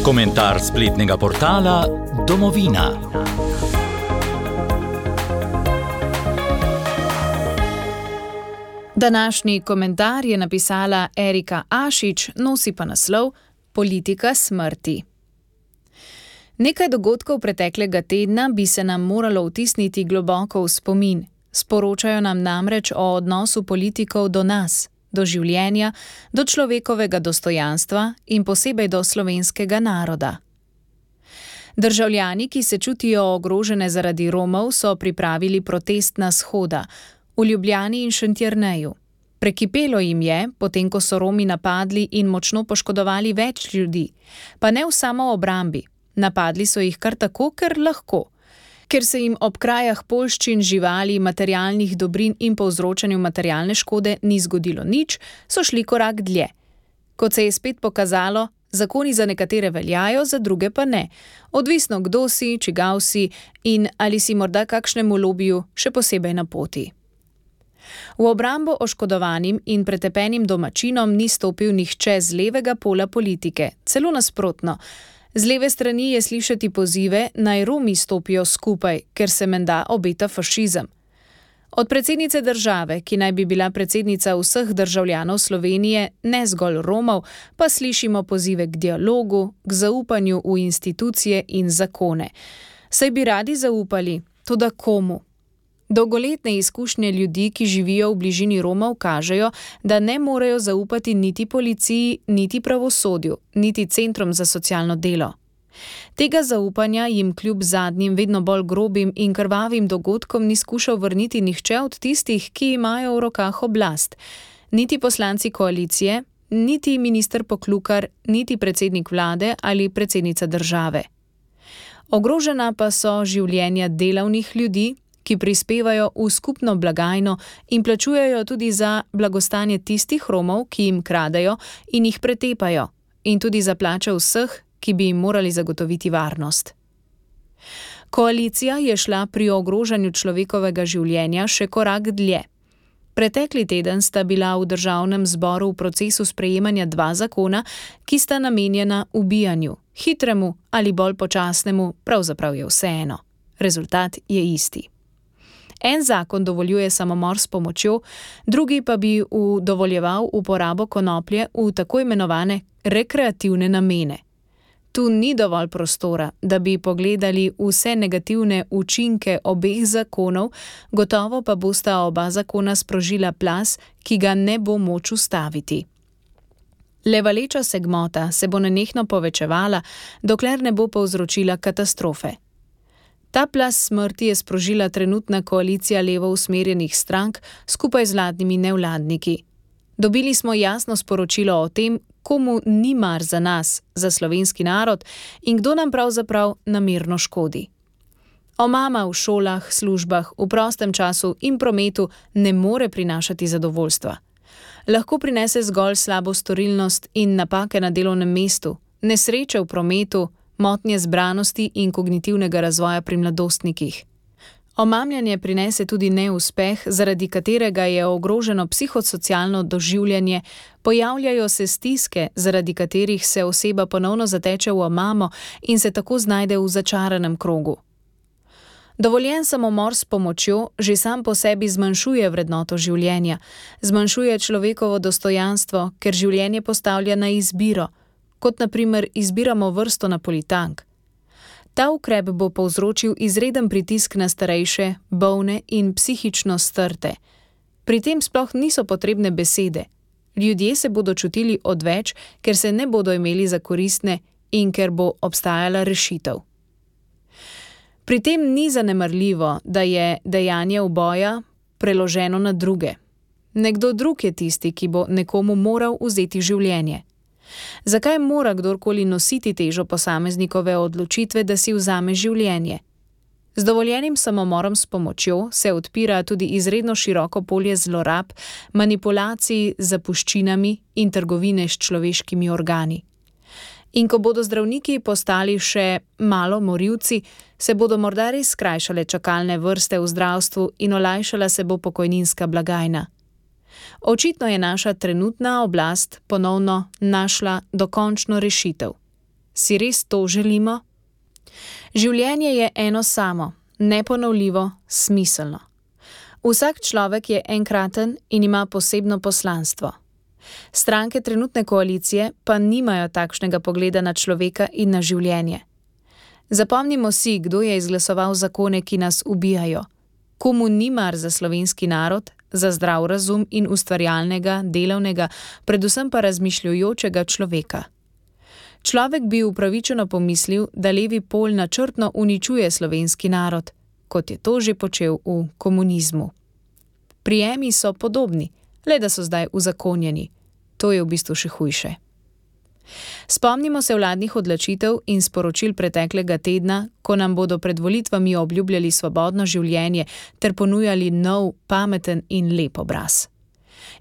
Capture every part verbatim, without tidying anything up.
Komentar spletnega portala Domovina. Današnji komentar je napisala Erika Ašič, nosi pa naslov Politika smrti. Nekaj dogodkov preteklega tedna bi se nam moralo vtisniti globoko v spomin. Sporočajo nam namreč o odnosu politikov do nas, do življenja, do človekovega dostojanstva in posebej do slovenskega naroda. Državljani, ki se čutijo ogrožene zaradi Romov, so pripravili protestna shoda v Ljubljani in Šentjerneju. Prekipelo jim je, potem ko so Romi napadli in močno poškodovali več ljudi, pa ne v samoobrambi. Napadli so jih kar tako, ker lahko. Ker se jim ob krajah poljščin, živali, materialnih dobrin in povzročanju materialne škode ni zgodilo nič, so šli korak dlje. Kot se je spet pokazalo, zakoni za nekatere veljajo, za druge pa ne. Odvisno kdo si, čigav si in ali si morda kakšnemu lobiju še posebej na poti. V obrambo oškodovanim in pretepenim domačinom ni stopil nihče z levega pola politike, celo nasprotno. Z leve strani je slišati pozive, naj Romi stopijo skupaj, ker se menda obeta fašizem. Od predsednice države, ki naj bi bila predsednica vseh državljanov Slovenije, ne zgolj Romov, pa slišimo pozive k dialogu, k zaupanju v institucije in zakone. Saj bi radi zaupali, toda komu? Dolgoletne izkušnje ljudi, ki živijo v bližini Romov, kažejo, da ne morejo zaupati niti policiji, niti pravosodju, niti centrom za socialno delo. Tega zaupanja jim kljub zadnjim vedno bolj grobim in krvavim dogodkom ni skušal vrniti nihče od tistih, ki imajo v rokah oblast. Niti poslanci koalicije, niti minister Poklukar, niti predsednik vlade ali predsednica države. Ogrožena pa so življenja delavnih ljudi, ki prispevajo v skupno blagajno in plačujejo tudi za blagostanje tistih Romov, ki jim kradejo in jih pretepajo, in tudi za plače vseh, ki bi jim morali zagotoviti varnost. Koalicija je šla pri ogrožanju človekovega življenja še korak dlje. Pretekli teden sta bila v državnem zboru v procesu sprejemanja dva zakona, ki sta namenjena ubijanju, hitremu ali bolj počasnemu, pravzaprav je vseeno. Rezultat je isti. En zakon dovoljuje samomor s pomočjo, drugi pa bi dovoljeval uporabo konoplje v tako imenovane rekreativne namene. Tu ni dovolj prostora, da bi pogledali vse negativne učinke obeh zakonov, gotovo pa bosta oba zakona sprožila plaz, ki ga ne bo moč ustaviti. Le valeča se gmota se bo nenehno povečevala, dokler ne bo povzročila katastrofe. Ta plaz smrti je sprožila trenutna koalicija levo usmerjenih strank skupaj z vladnimi nevladniki. Dobili smo jasno sporočilo o tem, komu ni mar za nas, za slovenski narod in kdo nam pravzaprav namerno škodi. Omama v šolah, službah, v prostem času in prometu ne more prinašati zadovoljstva. Lahko prinese zgolj slabo storilnost in napake na delovnem mestu, nesreče v prometu, motnje zbranosti in kognitivnega razvoja pri mladostnikih. Omamljanje prinese tudi neuspeh, zaradi katerega je ogroženo psihosocialno doživljanje, pojavljajo se stiske, zaradi katerih se oseba ponovno zateče v omamo in se tako znajde v začaranem krogu. Dovoljen samomor s pomočjo že sam po sebi zmanjšuje vrednoto življenja, zmanjšuje človekovo dostojanstvo, ker življenje postavlja na izbiro, kot na primer izbiramo vrsto napolitank. Ta ukrep bo povzročil izreden pritisk na starejše, bolne in psihično strte. Pri tem sploh niso potrebne besede. Ljudje se bodo čutili odveč, ker se ne bodo imeli za koristne in ker bo obstajala rešitev. Pri tem ni zanemarljivo, da je dejanje uboja preloženo na druge. Nekdo drug je tisti, ki bo nekomu moral vzeti življenje. Zakaj mora kdorkoli nositi težo posameznikove odločitve, da si vzame življenje? Z dovoljenim samomorom s pomočjo se odpira tudi izredno široko polje zlorab, manipulacij z zapuščinami in trgovine s človeškimi organi. In ko bodo zdravniki postali še malo morilci, se bodo morda res skrajšale čakalne vrste v zdravstvu in olajšala se bo pokojninska blagajna. Očitno je naša trenutna oblast ponovno našla dokončno rešitev. Si res to želimo? Življenje je eno samo, neponovljivo, smiselno. Vsak človek je enkraten in ima posebno poslanstvo. Stranke trenutne koalicije pa nimajo takšnega pogleda na človeka in na življenje. Zapomnimo si, kdo je izglasoval zakone, ki nas ubijajo. Komu ni mar za slovenski narod, za zdrav razum in ustvarjalnega, delavnega, predvsem pa razmišljujočega človeka. Človek bi upravičeno pomislil, da levi pol načrtno uničuje slovenski narod, kot je to že počel v komunizmu. Prijemi so podobni, le da so zdaj uzakonjeni. To je v bistvu še hujše. Spomnimo se vladnih odločitev in sporočil preteklega tedna, ko nam bodo pred volitvami obljubljali svobodno življenje ter ponujali nov, pameten in lep obraz.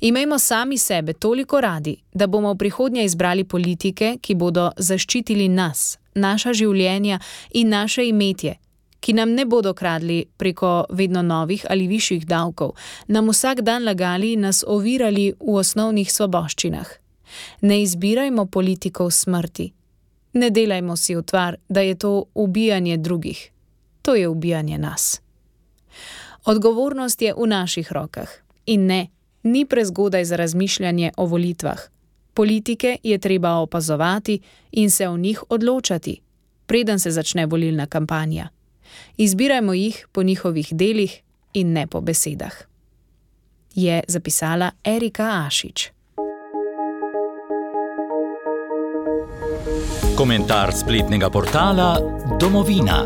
Imejmo sami sebe toliko radi, da bomo v prihodnje izbrali politike, ki bodo zaščitili nas, naša življenja in naše imetje, ki nam ne bodo kradli preko vedno novih ali višjih davkov, nam vsak dan lagali in nas ovirali v osnovnih svoboščinah. Ne izbirajmo politikov smrti. Ne delajmo si utvar, da je to ubijanje drugih. To je ubijanje nas. Odgovornost je v naših rokah. In ne, ni prezgodaj za razmišljanje o volitvah. Politike je treba opazovati in se o njih odločati, preden se začne volilna kampanja. Izbirajmo jih po njihovih delih in ne po besedah. Je zapisala Erika Ašič. Komentar spletnega portala Domovina.